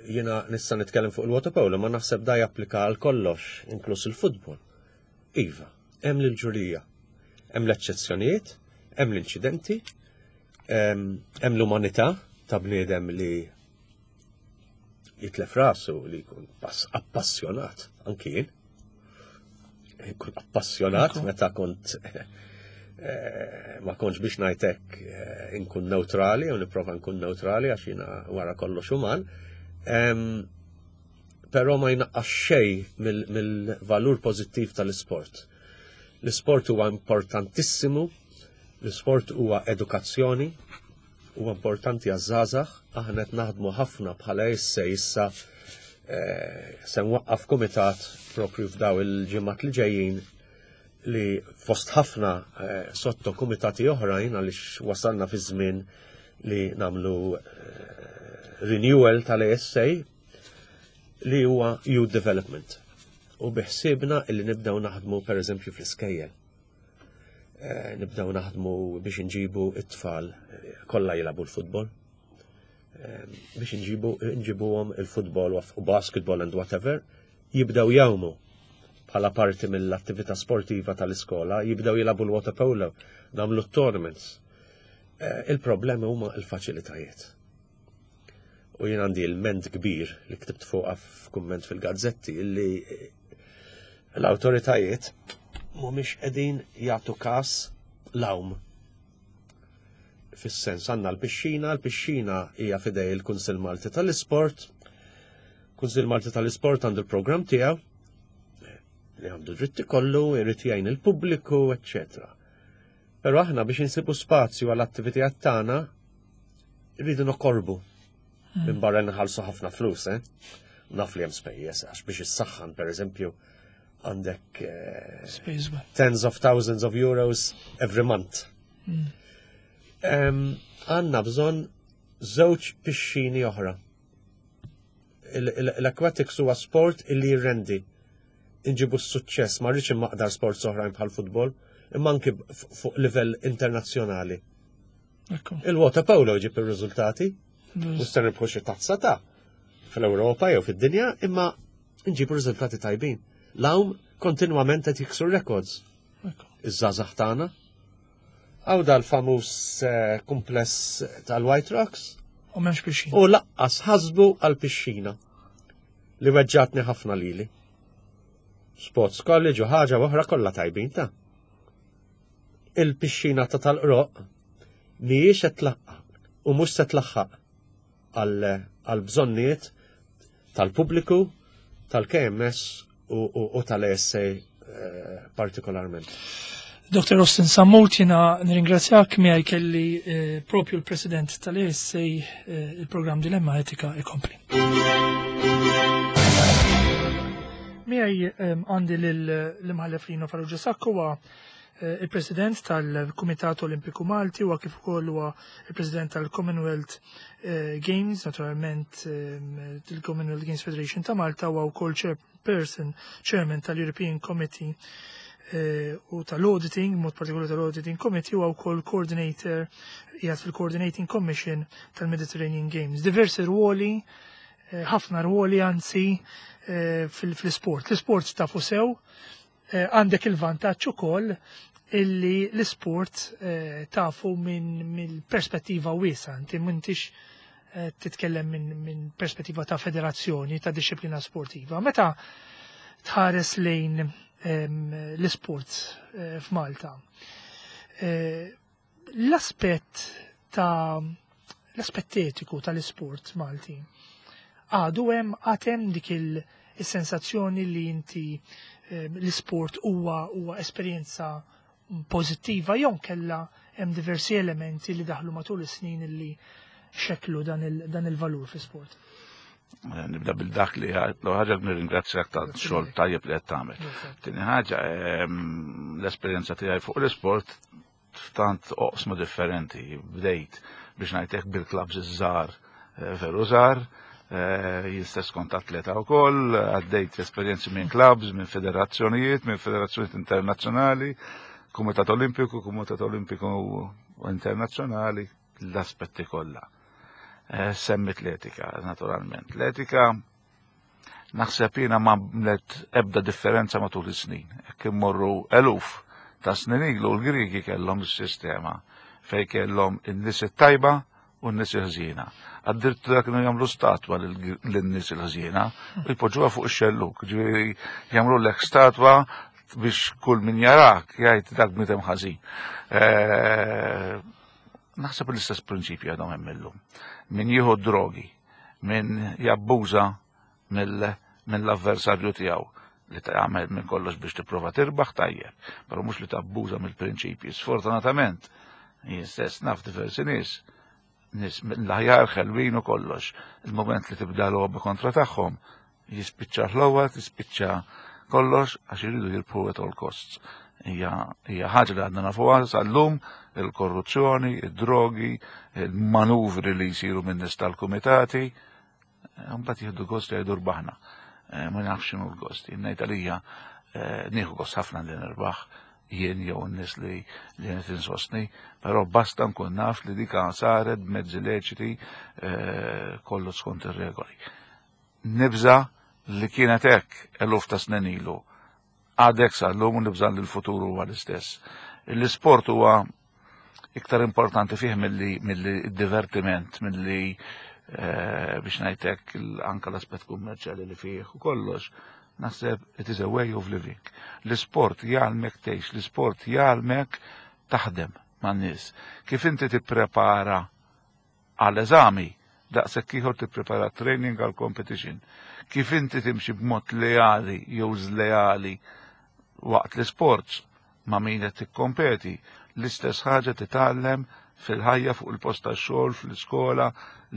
C: jiena nista' nitkellem fuq il-water polo, ma naħseb da japplika għal kollox, inkluż il-futbol. Iva, hemm l-ġurija, hemm l-eċċezzjonijiet, hemm l-inċidenti, em, hemm l-umanità ta' bniedem li jitlef rasu, li jkun pass appassjonat, anki jien. Jkun appassjonat
A: Ekku.
C: meta kont eh, ma kontx, biex ngħidlek, eh, inkun neutrali, u nipprova nkun neutrali għax jiena wara kollox uman. Em, Però ma jnaqqas xejn mill- mill-valur pożittiv tal-isport. L-isport huwa importantissimu, l-isport huwa edukazzjoni, huwa importanti għaż-żgħażagħ. Aħna qed naħdmu ħafna bħala issa issa eh, se nwaqqaf kumitat propju f'daw il-ġimgħat li ġejjin li fost ħafna eh, sotto kumitati oħrajn, għaliex wasalna fi żmien li nagħmlu eh, renewal tal-A S A, li huwa youth development. U biħsibna illi nibdew naħdmu per eżempju fl-iskejjel. Eh, nibdew naħdmu biex nġibu it-tfal eh, kollha jilagħbu l-futbol. Eh, biex nġibu nġibuhom il-futbol u basketball and whatever, jibdew jgħumu bħala parti mill-attività sportiva tal-iskola, jibdew jilagħbu l-water polo, nagħmlu tournaments. Eh, Il-problema huma l-faċilitajiet. U jien għandi il-ment kbir li ktibt fuqha f'kumment fil-gazzetti illi l-awtoritajiet mhumiex qegħdin jagħtu każ l-għawm. Fis-sens, għandna l-pixxina, l-pixxina hija f'idej il-Kunsill Malti tal-Isport. Kunsill Malti tal-Isport għandu l-programm tiegħu li għandu dritti kollu, irid jgħin il-pubbliku, eċċetera. Però aħna biex insibu spazju għall-attivitajiet tagħna rridu nokorbu. Minn barra nħallsu ħafna flus, eh? Naf li hemm spejjeż għax biex issaħħan, per eżempju, għandek eh,
A: Space well.
C: tens of thousands of euros every month. Em, Għandna bżonn żewġ pixxini oħra. Il- il- L-aquatics huwa sport illi jirrendi. Inġibu s-suċċess, ma rridx immaqdar sports oħrajn bħal futbol, imma anki f- fuq livell internazzjonali.
A: Ekku.
C: Il-water polo ġib ir-riżultati, u se nirbħu xi tazza ta' fl-Ewropa jew fid-dinja, imma nġibu riżultati tajbin. L-għawm kontinwament qed jiksru records.
A: Ekku.
C: Iż-żgħażagħ tagħna. Għaw dal-famuż eh, kumpless tal-White Rocks.
A: U m'hemmx pixxina.
C: U lanqas ħasbu għal-pixxina li weġġatni ħafna lili. Sports College u ħaġa oħra kollha tajbin ta' il-pixxina ta' Tal-Qroqq mhijiex qed tlaħħaq u mhux se tlaħħaq għal bżonnijiet tal-pubbliku, tal-K M S u, u, u tal-A S A eh, partikolarment.
A: Doktor Austin Sammut, jiena nirringrazzjak. Miegħi kelli eh, propju l-President tal-A S A. eh, il-programm Dilemma Etika ikompli. Miegħi eh, għandi l-Imħallef Lino Farrugia Sacco, huwa eh, il-President tal-Kumitat Olimpiku Malti, huwa kif ukoll huwa il-President tal-Commonwealth eh, Games, naturalment eh, il-Commonwealth Games Federation ta' Malta, huwa wkoll chairperson, chairman tal-European Committee eh, u tal-Auditing, mod partikolari tal-Auditing Committee, u wkoll coordinator, qiegħed fil-Coordinating Commission tal-Mediterranean Games. Diversi ruoli, eh, ħafna ruoli anzi eh, fil-sport. L-sport tafu sew, eh, għandek il-vantaġġ ukoll illi l-sport eh, tafu minn mill-perspettiva wiesa, inti m'intix eh, titkellem minn min perspettiva ta' federazzjoni, ta' disciplina sportiva. Meta tħares lejn em, l-sport eh, f'Malta, eh, l-aspett ta' l-aspett etiku tal-isport Malti għadu hemm, għad hemm dik il-sensazzjoni li inti eh, l-isport huwa huwa esperjenza pożittiva jew kella hemm diversi elementi li daħlu matul is-snin li xeklu dan il- dan il-valur fi sport?
D: Eh, Nibda bil-dak li l ħaġa nirringrazzjak ta' xogħol tajjeb li qed tagħmel. Tieni ħaġa, ehm, l-esperjenza tiegħi fuq l-isport f'tant oqsma differenti. Bdejt biex ngħidlek bil-clubs iż-żgħar, eh, veru żgħar, eh, jien stess kont atleta wkoll, għaddejt esperjenzi minn clubs, minn federazzjonijiet, minn federazzjonijiet internazzjonali, Kumitat Olimpiku, Kumitat Olimpiku Internazzjonali, l-aspetti kollha. Eh, Semmit l-etika, naturalment. L-etika naħseb jiena ma għamlet ebda differenza matul is-snin. Jekk immorru eluf ta' snin ilu, l-Griki kellhom is-sistema fej kellhom in-nies it-tajba u n-nies il-ħżiena. Addirittura kienu jagħmlu statwa lin-nies il-ħżiena u jpoġġuha fuq ix-xelluk. Ġifieri jagħmlu lek statwa biex kull min jarak jgħid dak bniedem ħażin. Eh, Naħseb l-istess prinċipju għadhom hemm illum. Min jieħu drogi, min jabbuża mill-avversarju tiegħu, li tagħmel minn kollox biex tipprova tirbaħ tajjeb, però mhux li tabbuża mill-prinċipji. Sfortunatament, jien stess naf diversi nies, nies mill-aħjar, ħelwin u kollox. Il-moment li tibda logħba kontra tagħhom, jispiċċa ħlowat, jispiċċa kollox għax iridu jirbħu at all costs. Hija hija ħaġa li għadna nafuha sal-lum, il-korruzzjoni, id-drogi, il-manuvri li jsiru minn nies tal-kumitati, mbagħad jieħdu gost jgħidu rbaħna. Eh, Ma nafx x'inhu l-gost. Jien ngħid għalija eh, nieħu gost ħafna li nirbaħ jien jew n-nies li li qed insostni, però basta nkun naf li dika saret b'mezzi leċiti, eh, kollu skont ir-regoli. Nibża li kienet hekk eluf ta' snin ilu. Għadek sal-lum u nibża li l-futur huwa l-istess. L-isport huwa iktar importanti fih milli milli divertiment, milli eh, biex ngħidlek anka l-aspett kummerċjali li fih u kollox. Naħseb it is a way of living. L-isport jgħallmek tgħix, l-isport jgħallmek taħdem man-nies. Kif inti tipprepara għal eżami, daqshekk ieħor tipprepara training għal competition. Kif inti timxi b'mod leali jew żleali waqt l-sports ma' min qed tikkompeti, l-istess ħaġa titgħallem fil-ħajja, fuq il-post tax-xogħol, fl-iskola,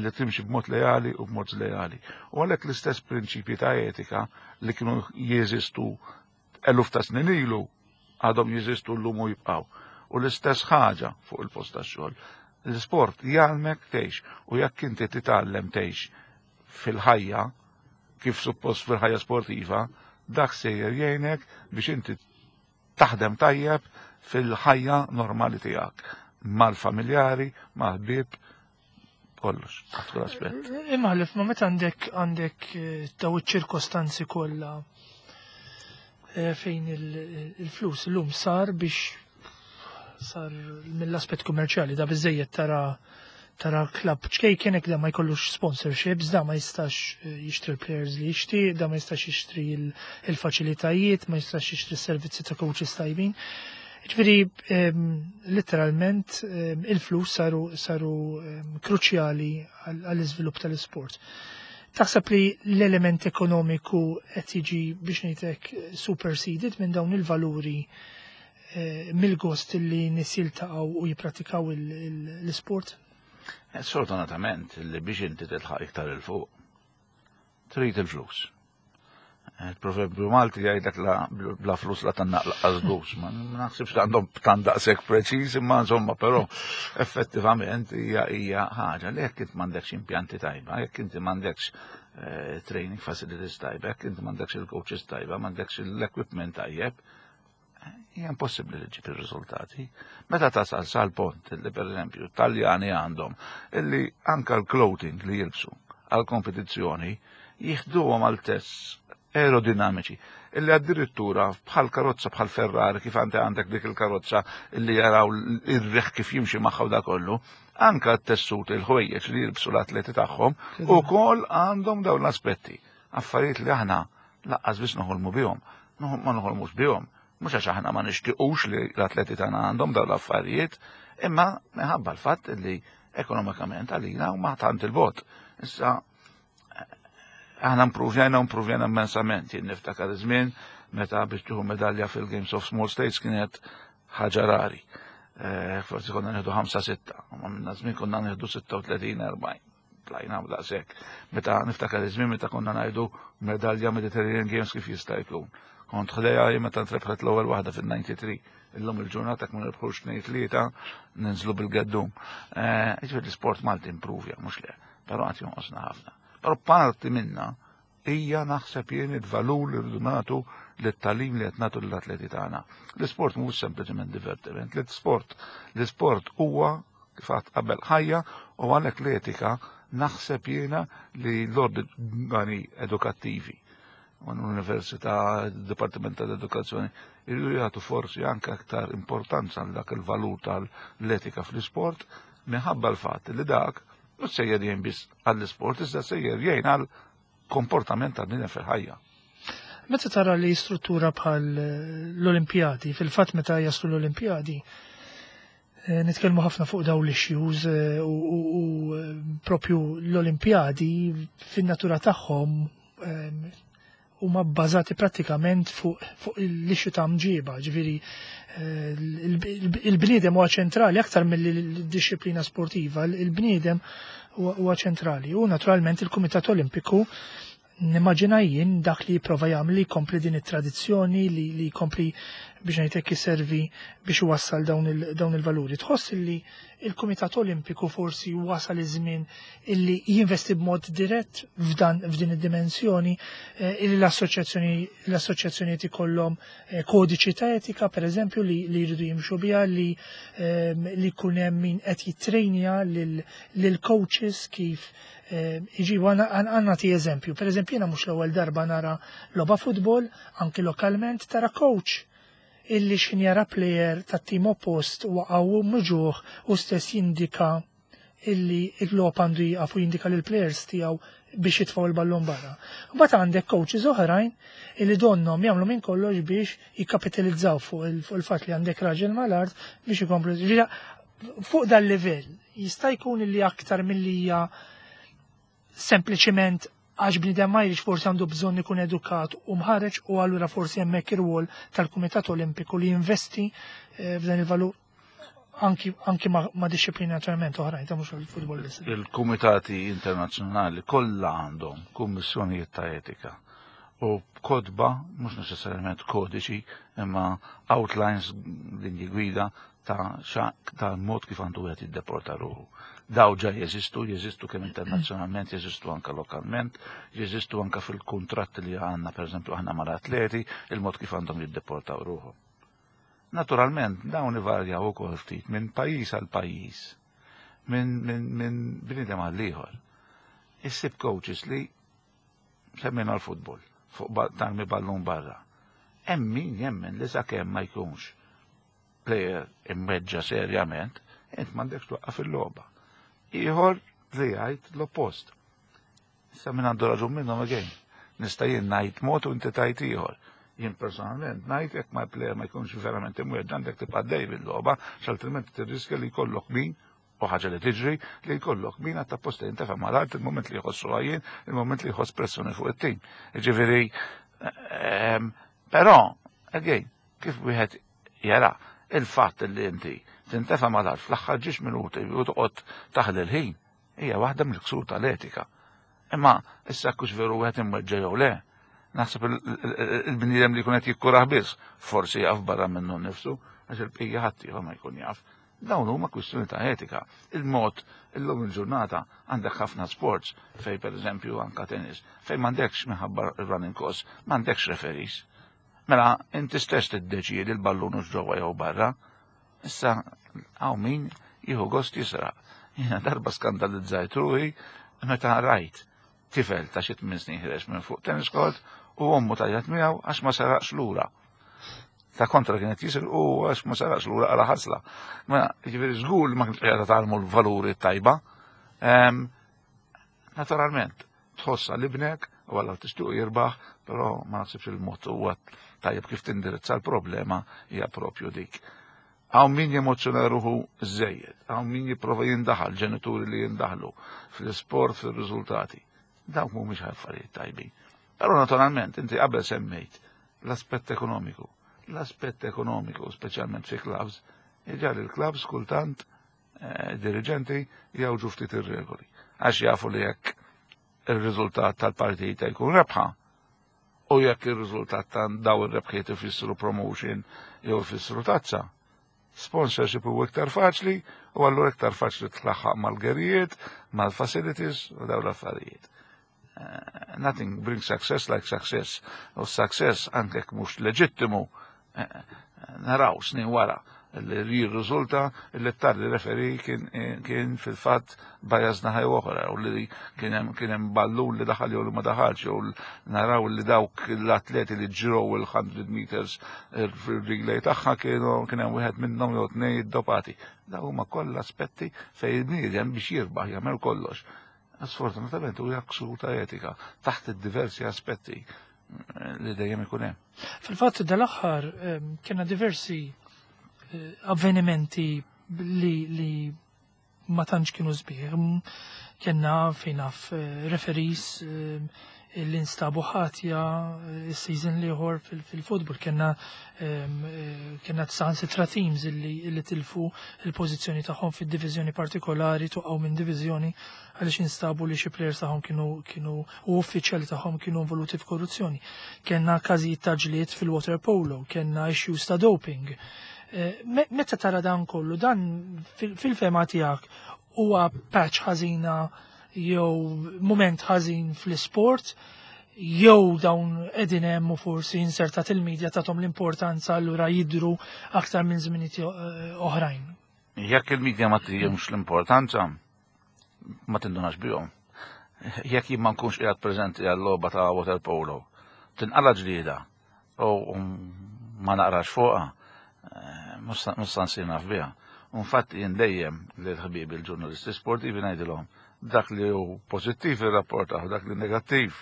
D: li timxi b'mod leali u b'mod żleali. U għalhekk l-istess prinċipji ta' etika li kienu jeżistu eluf ta' snin ilu għadhom jeżistu llum u jibqgħu. U l-istess ħaġa fuq il-post tax-xogħol. L-isport jgħallmek tgħix u jekk inti titgħallem tgħix fil-ħajja kif suppost fil-ħajja sportiva, dak sejjer jgħinek biex inti taħdem tajjeb fil-ħajja normali tiegħek mal-familjari, mal-ħbieb, kollox, taħt kull aspett.
A: Imħallef, ma meta għandek għandek eh, daw iċ-ċirkostanzi kollha eh, fejn il- il-flus illum sar biex sar mill-aspett kummerċjali da biżejjed tara Tara klab ċkejken da ma jkollux sponsorships, da ma jistax eh, jixtri l-players li jixtri, da ma jistax jixtri il-faċilitajiet, ma jistax jixtri s-servizzi ta' coaches tajbin. Ġifieri, letteralment, il-flus saru, saru kruċjali għall-iżvilupp tal-isport. Taħseb li l-element ekonomiku qed jiġi, biex ngħidlek, superseded minn dawn il-valuri, eh, mill-gost li nies jiltaqgħu u jippratikaw l-isport?
D: Eh, sfortunatament, li biex inti tilħaq iktar 'il fuq, trid il-flus. Il-proverbju Malti jgħidlek la bla flus la tgħannaq lanqas dus. Ma naħsibx li għandhom tant daqshekk preċiż, imma insomma, però effettivament hija hija ħaġa li jekk inti m'għandekx impjanti tajba, jekk inti m'għandekx eh, training facilities tajba, jekk inti m'għandekx il-coaches tajba, m'għandekx l-equipment tajjeb, hija impossibbli li ġġib ir-riżultati. Meta tasal sal-punt li, pereżempju, Taljani għandhom illi anka l-clothing li jilbsu għal kompetizzjoni jieħduhom għal tests aerodinamiċi illi addirittura bħal karozza, bħal Ferrari, kif għandi għandek dik il-karozza illi jaraw ir-riħ kif jimxi magħha u da kollu, anka t-tessut, il-ħwejjeġ li jilbsu l-atleti tagħhom ukoll għandhom dawn l-aspetti. Affarijiet li aħna lanqas biss noħolmu bihom, ma noħolmux bihom. Mhux għax aħna ma nixtiequx li l-atleti tagħna għandhom dawn l-affarijiet, imma minħabba l-fatt li ekonomikament għalina huma tant 'il bogħod. Issa aħna impruvjajna, impruvjajna immensament. Jien niftakar żmien meta biex tieħu medalja fil-Games of Small States kienet ħaġa rari. Eh, forsi konna nieħdu ħamsa sitta, ma minna żmien konna nieħdu sitta u tletin, erbgħin. Tlajna daqshekk. Meta niftakar iż-żmien meta konna ngħidu medalja Mediterranean Games kif jista' jkun. Kont ħdejha meta ntrebħet l-ewwel waħda fil-tnejn u disgħin. Illum il-ġurnata ma nirbħux tnejn tlieta ninżlu bil-geddum. Eh, ġifieri l-isport Malti impruvja, mhux le, però għad jonqosna ħafna. Però parti minna hija, naħseb jien, il-valur li rridu nagħtu lit-tagħlim li qed nagħtu lill-atleti tagħna. L-isport mhux sempliċement divertiment, l-isport l-isport huwa, kif għedt qabel, ħajja, u għalhekk l-etika naħseb jiena li l-organi edukattivi, l-Università, il-Dipartiment tal-Edukazzjoni, irridu jagħtu forsi anke aktar importanza għal dak il-valur tal-etika fl-isport, minħabba l-fatt li dak mhux sejjer jgħin biss għall-isport, iżda sejjer jgħin għal komportament tal-bniedem fil-ħajja.
A: Meta tara li struttura bħal l-Olimpjadi, fil-fatt meta jaslu l-Olimpjadi, eh, nitkellmu ħafna fuq daw l-issues eh, u, u, u eh, propju l-Olimpjadi fin-natura tagħhom huma bbażati prattikament fuq fu l-issue ta' mġiba, ġifieri il-bniedem huwa ċentrali aktar mill-disciplina sportiva, il-bniedem huwa ċentrali. U naturalment il-Kumitat Olimpiku, nimmaġina jien, dak li jipprova jagħmel li jkompli din it-tradizzjoni, li li jkompli, biex ngħidlek, iservi biex iwassal dawn il-valuri. Tħoss li il-Kumitat Olimpiku forsi wasal iż-żmien illi jinvesti b'mod dirett f'dan f'din id-dimensjoni, eh, illi l-assoċjazzjoni l-assoċjazzjonijiet ikollhom eh, kodiċi ta' etika, pereżempju, li li jridu jimxu biha, li ehm, li jkun hemm min qed jittrejnja lil coaches kif iġibu? Għandna ti eżempju. Per eżempju, jiena mhux l-ewwel darba nara logħba futbol, anki lokalment, tara coach illi x'ħin jara player ta' tim oppost waqgħu muġugħ u stess jindika illi il-logħob għandu jieqaf u jindika lil players tiegħu biex jitfgħu il-ballon barra. Mbagħad għandek coaches oħrajn illi donhom jagħmlu minn kollox biex jikkapitalizzaw fuq il-fatt li għandek raġel mal-art biex ikomplu. Fuq dal-livell jista' jkun illi aktar milli hija sempliċiment għax bniedem ma jridx, forsi għandu bżonn ikun edukat u mħareġ, u allura forsi hemmhekk ir-rwol tal-Kumitat Olimpiku li jinvesti eh, f'dan il-valur anki, anki ma, ma disciplini naturalment oħrajn ta' mhux il-futbol biss.
D: Il-kumitati internazzjonali kollha għandhom kummissjonijiet ta' etika u kotba, mhux neċessarjament kodiċi, imma outlines, linji gwida ta' ta' mod kif għandu wieħed jiddeporta ruħu. Daw ġa jeżistu, jeżistu kemm internazzjonalment, jeżistu anka lokalment, jeżistu anka fil-kontratti li għandna, per eżempju, aħna mal-atleti, il-mod kif għandhom jiddeportaw ruħu. Naturalment, dawn ivarjaw ukoll ftit minn pajjiż għal pajjiż, minn min, min bniedem għal ieħor. Issib coaches li, semmejna l-futbol, fuq tarmi ballun barra. Hemm min jemmen li sakemm ma jkunx player imweġġa' serjament, int m'għandekx twaqqaf il-logħba. Ieħor li jgħid l-oppost. Issa min għandu raġun minnhom again? Nista' jien ngħid mod u inti tgħid ieħor. Jien personalment ngħid jekk ma player ma jkunx verament imweġġa' għandek tibqa' dej bil-logħba, x'altrimenti tirriskja li jkollok min, u ħaġa li tiġri, li jkollok min għatta posta jintefa' mal-art il-moment li jħossu għajjien, il-moment li jħoss pressjoni fuq it-tim. Ġifieri, ehm, però, again, kif wieħed jara, il-fatt li inti tintefa' mal-art fl-aħħar ġiex minuti u toqgħod taħli l-ħin, hija waħda mill-ksur tal-etika. Imma issa kux veru wieħed imweġġa' jew le, naħseb il-bniedem li jkun qed jikkurah biss, forsi jaf barra minnu nnifsu, għax il-bqija ħadd ieħor ma jkun jaf. Dawn huma kwistjoni ta' etika. Il-mod illum il-ġurnata għandek ħafna sports fej, pereżempju, anka tennis, fej m'għandekx, minħabba running costs, m'għandekx referees. Mela inti stess tiddeċiedi l-ballun hux ġewwa jew barra. Issa hawn min jieħu gost jisraq. Jiena darba skandalizzajt ruħi meta rajt tifel ta' xi tmien snin ħireġ minn fuq tennis court u ommu tajjat miegħu għax ma saraqx lura. Ta' kontra kienet jisir u għax ma saraqx lura għala ħasla. Ma ġifieri żgur li ma kienx qiegħda tgħallmu l-valuri tajba. Naturalment, tħossa l-ibnek u għalla tixtuq jirbaħ, però ma naħsibx il-mod huwa tajjeb kif tindirizza l-problema hija propju dik. Hawn min jemozzjona ruħu żejjed, hawn min jipprova jindaħal, ġenituri li jindaħlu fl-isport, fil-riżultati. Dawk mhumiex affarijiet tajbin. Però naturalment, inti qabel semmejt l-aspett ekonomiku. L-aspett ekonomiku, speċjalment fi clubs, iġal il-clubs kultant eh, dirigenti jawġu ftit ir-regoli. Għax jafu li jekk ir-riżultat tal-partita jkun rebħa, u jekk ir-riżultat ta' daw ir-rebħiet ifissru promotion jew ifissru tazza, sponsorship huwa iktar faċli u allura iktar faċli tlaħħaq mal-gerijiet, mal-facilities u daw l-affarijiet. Uh, nothing brings success like success. U success anke mhux leġittimu, eh, naraw snin wara li jirriżulta li t-tardi referee kien, kien fil-fatt biased naħa oħra u li kien hemm kien hemm ballun li daħal jew li ma daħalx, jew naraw li dawk l-atleti li ġrew il-mija meters fil-relay tagħha kienu kien hemm wieħed minnhom jew tnejn iddopati. Daw huma kollha aspetti fejn il-bniedem biex jirbaħ jagħmel kollox. Sfortunatament huwa ksur ta' etika taħt id-diversi aspetti li dejjem ikun hemm.
A: Fil-fatt dal-aħħar kienna diversi eh, avvenimenti li, li ma tantx kienu sbieħ. Kienna fejn naf eh, referees eh, li nstabu ħatja il-season l-ieħor fil-futbol. Kienna kienna sitra teams li, li tilfu il-pożizzjoni tagħhom fid-diviżjoni partikolari, tuqgħu minn diviżjoni għaliex instabu li xi players tagħhom kienu kienu u uffiċjali tagħhom kienu involuti f'korruzzjoni. Kenna każijiet ta' ġlied fil-water polo, kenna issues ta' doping. Meta tara dan kollu, dan fil-fema tiegħek huwa patch ħażina jew moment ħażin fl-isport, jew dawn qegħdin hemm u forsi insertat il-medja tagħhom l-importanza, allura jidru aktar minn żminijiet oħrajn?
D: Jekk il-medja ma tihomx l-importanza, ma tindunax bihom. Jekk jien ma nkunx qiegħed preżenti għal-logħba ta' water polo, tinqala ġlieda u ma naqrax fuqha, mhux sa nsir naf biha. Infatti jien dejjem lil ħbibi l-ġurnalisti sportivi ngħidilhom dak li hu pożittiv irrapportaw, dak li negattiv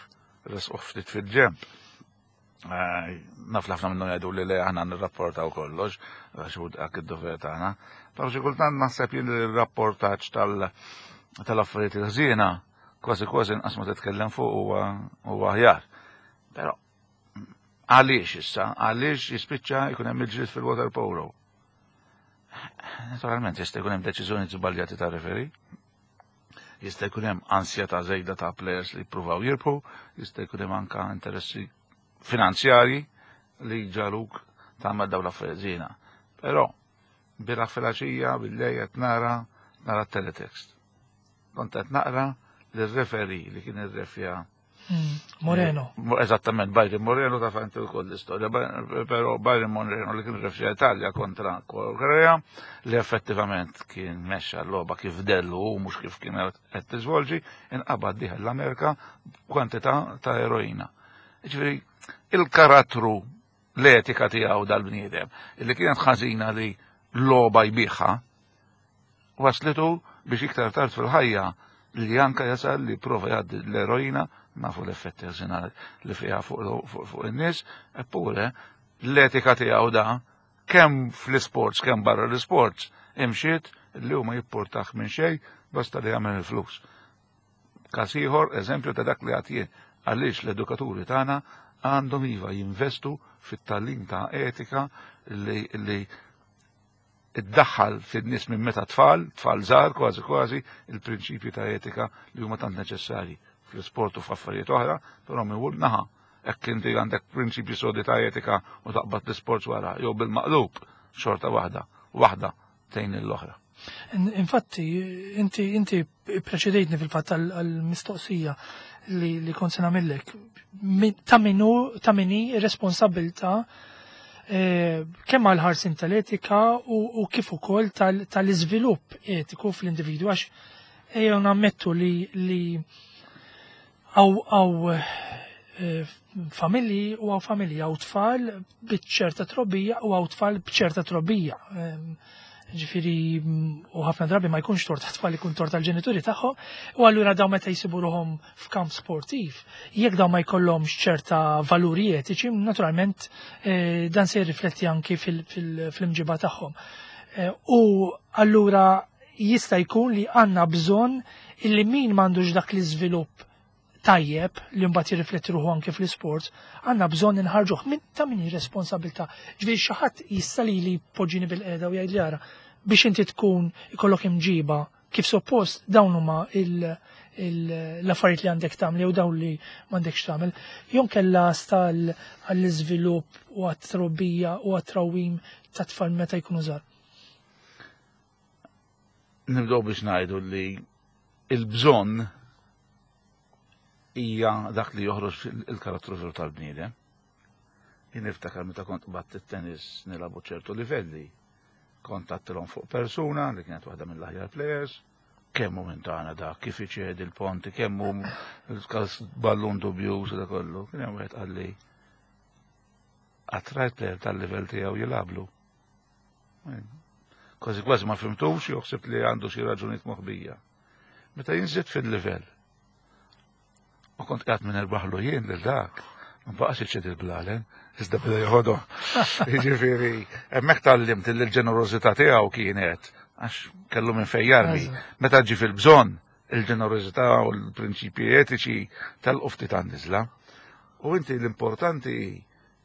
D: resquh ftit fil-ġemp. Naf ħafna minnhom jgħidu li le, aħna nirrapportaw kollox, għax hu dak id-dover tagħna. Però xi kultant naħseb jien li r-rapportaġġ tal-affarijiet il-ħżiena kważi kważi inqas ma titkellem fuq huwa aħjar. Però għaliex issa, għaliex jispiċċa jkun hemm il-ġlied fil-water polo? Naturalment jista' jkun hemm deċiżjoni żbaljati ta' referee, jista' jkun hemm ansjetà żejda ta' players li jippruvaw jirbħu, jista' jkun hemm anka interessi finanzjarji li ġaluk tagħmel dawn l-affarijiet żiena. Però bieraħ filgħaxija bil-lejl qed nara nara teletext. Kont qed naqra lir-referee li kien irrefja
A: Moreno.
D: Eżattament, Byron Moreno, ta' inti wkoll l-istorja, però Byron Moreno li kien refja Italja kontra Korea, li effettivament kien mexxa l-logħba kif dellu u mhux kif kien qed tiżvolġi, inqabad dieħel l-Amerika kwantità ta' eroina. Ġifieri il-karattru, l-etika tiegħu dal-bniedem, illi kienet ħażina li logħba jbiħha, waslitu biex iktar tard fil-ħajja li anka jasal li prova jgħaddi l-eroina, nafu l-effetti ħżiena li fiha fuq in-nies, eppure l-etika tiegħu da kemm fl-isports kemm barra l-isports imxiet li huma jipportax minn xejn basta li jagħmel il-flus. Każ ieħor, eżempju ta' dak li għad jien, għaliex l-edukaturi tagħna għandhom iva jinvestu fit-tagħlim ta' etika li, li iddaħħal fin-nies minn meta tfal, tfal żgħar kważi kważi, il-prinċipji ta' etika li huma tant neċessarji fl-isport u f'affarijiet oħra, però minn naħa hekk inti għandek prinċipji sodi ta' etika u taqbad l-isport wara, jew bil-maqlub xorta waħda, waħda tgħin l-oħra.
A: Infatti, inti inti preċedejtni fil-fatt għal-mistoqsija li, li kont se nagħmellek. Ta' minu ta' min hi responsabbiltà eh, kemm għal ħarsin tal-etika u, u kif ukoll tal-iżvilupp etiku fl-individwu, għax ejjew nammettu li li għaw għaw eh, familji u għaw familji għaw tfal b'ċerta trobbija u għaw tfal b'ċerta trobbija. Ġifieri, u ħafna drabi ma jkunx tort tfal, ikun tort tal-ġenituri tagħhom, u allura daw meta jsibu ruhom f'kamp sportiv, jekk daw ma jkollhomx ċerta valuri etiċi, naturalment eh, dan se jirrifletti anki fil-imġiba tagħhom. Eh, u allura jista' jkun li għandna bżonn illi min m'għandux dak l-iżvilupp tajjeb li mbagħad jirrifletti ruħu anke fl-isport, għandna bżonn inħarġuh. Min ta' min hi responsabilità? Ġifieri xi ħadd jista' lili poġġini bil-qiegħda u jgħid li ara biex inti tkun ikollok imġiba kif suppost dawn huma l-affarijiet li għandek tagħmel jew dawn li m'għandekx tagħmel. Jew kellha stal għall-iżvilupp u għat-trobbija u għat-trawwim ta' tfal meta jkunu żgħar.
D: Nibdew biex ngħidu li il-bżonn hija dak li joħroġ il-karattru veru tal-bniedem. Jien niftakar meta kont qbadt it-tennis nilagħbu ċertu livelli. Kont għattilhom fuq persuna li kienet waħda mill-aħjar players, kemm hu minn tagħna dak, kif iċedi l-ponti, kemm hu l-każ ballun dubjuż u dak kollu. Kien hemm wieħed qalli qatt rajt player tal-livell tiegħu jilagħblu. Kważi kważi ma fhimtux, joħseb li għandu xi raġunijiet moħbija. Meta jinżid fil-livell, u kont qiegħed minn erbaħlu jien lil dak, ma baqax iċedi l-blalen, iżda beda joħodhom. Jiġifieri, hemmhekk tgħallimt li l-ġenerożità tiegħu kienet għax kellu minn fejn jarmi. Meta ġi fil-bżonn, il-ġenerożità u l-prinċipji etiċi tal-qu ftit għan-niżla. U inti l-importanti,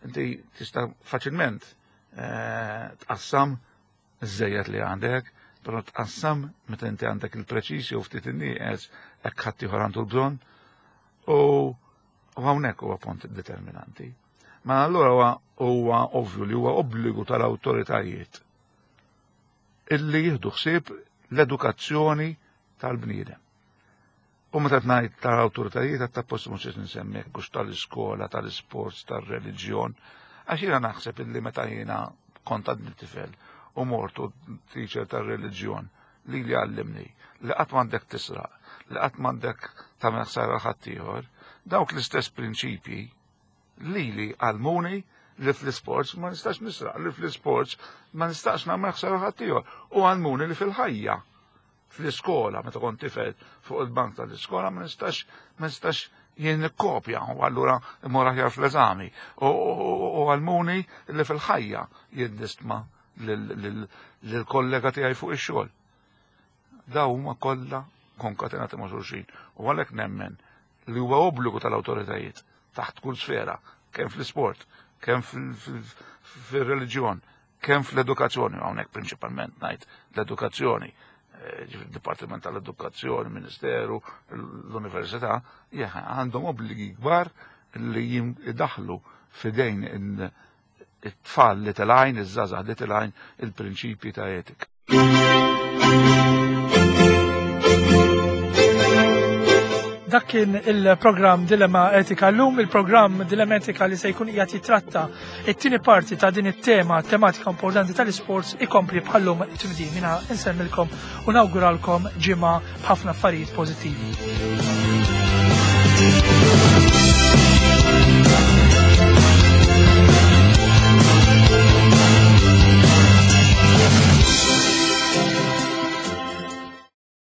D: inti tista' faċilment eh, tqassam iż-żejjed li għandek, però tqassam meta inti għandek il-preċisi u ftit in-nieqes hekk ħadd ieħor għandu l-bżonn. U hawnhekk huwa punt determinanti. Ma allura huwa huwa ovvju li huwa obbligu tal-awtoritajiet illi jieħdu ħsieb l-edukazzjoni tal-bniedem. U meta ngħid tal-awtoritajiet qed tappost mhux qed insemmi hekk hux tal-iskola, tal-isports, tar-reliġjon, għax jiena naħseb illi meta jiena kont għadni tifel u mortu teacher tar-reliġjon li li għallimni li qatt m'għandek tisraq, li qatt m'għandek tagħmel ħsara ħaddieħor, dawk l-istess prinċipji li li għallmuni li fl-isports ma nistax nisraq, li fl-isports ma nistax nagħmel ħsara ħaddieħor, u għallmuni li fil-ħajja, fl-iskola, meta kont tifel fuq il-bank tal-iskola ma nistax ma nistax jien nikkopja u allura immur aħjar fl-eżami. U għallmuni li fil-ħajja jien nistma lill-kollega tiegħi fuq ix-xogħol. Daw huma kollha konkatenati ma' xulxin. U għalhekk nemmen li huwa obbligu tal-awtoritajiet taħt kull sfera, kemm fl-isport, kemm fil-reliġjon, kemm fl-edukazzjoni, hawnhekk prinċipalment ngħid l-edukazzjoni, ġifieri d-Dipartiment tal-Edukazzjoni, Ministeru, l-Università, għandhom obbligi kbar li jidaħlu fidejn it-tfal li telgħin, iż-żgħażagħ li telgħin il-prinċipji ta' etika.
A: Dak kien il-programm Dilemma Etika llum, il-programm Dilemma Etika li se jkun qiegħed jitratta it-tieni parti ta' din it-tema tematika importanti tal-isports ikompli bħallum tmdi. Mina insemmilkom u nawguralkom ġimgħa b'ħafna affarijiet pożittivi.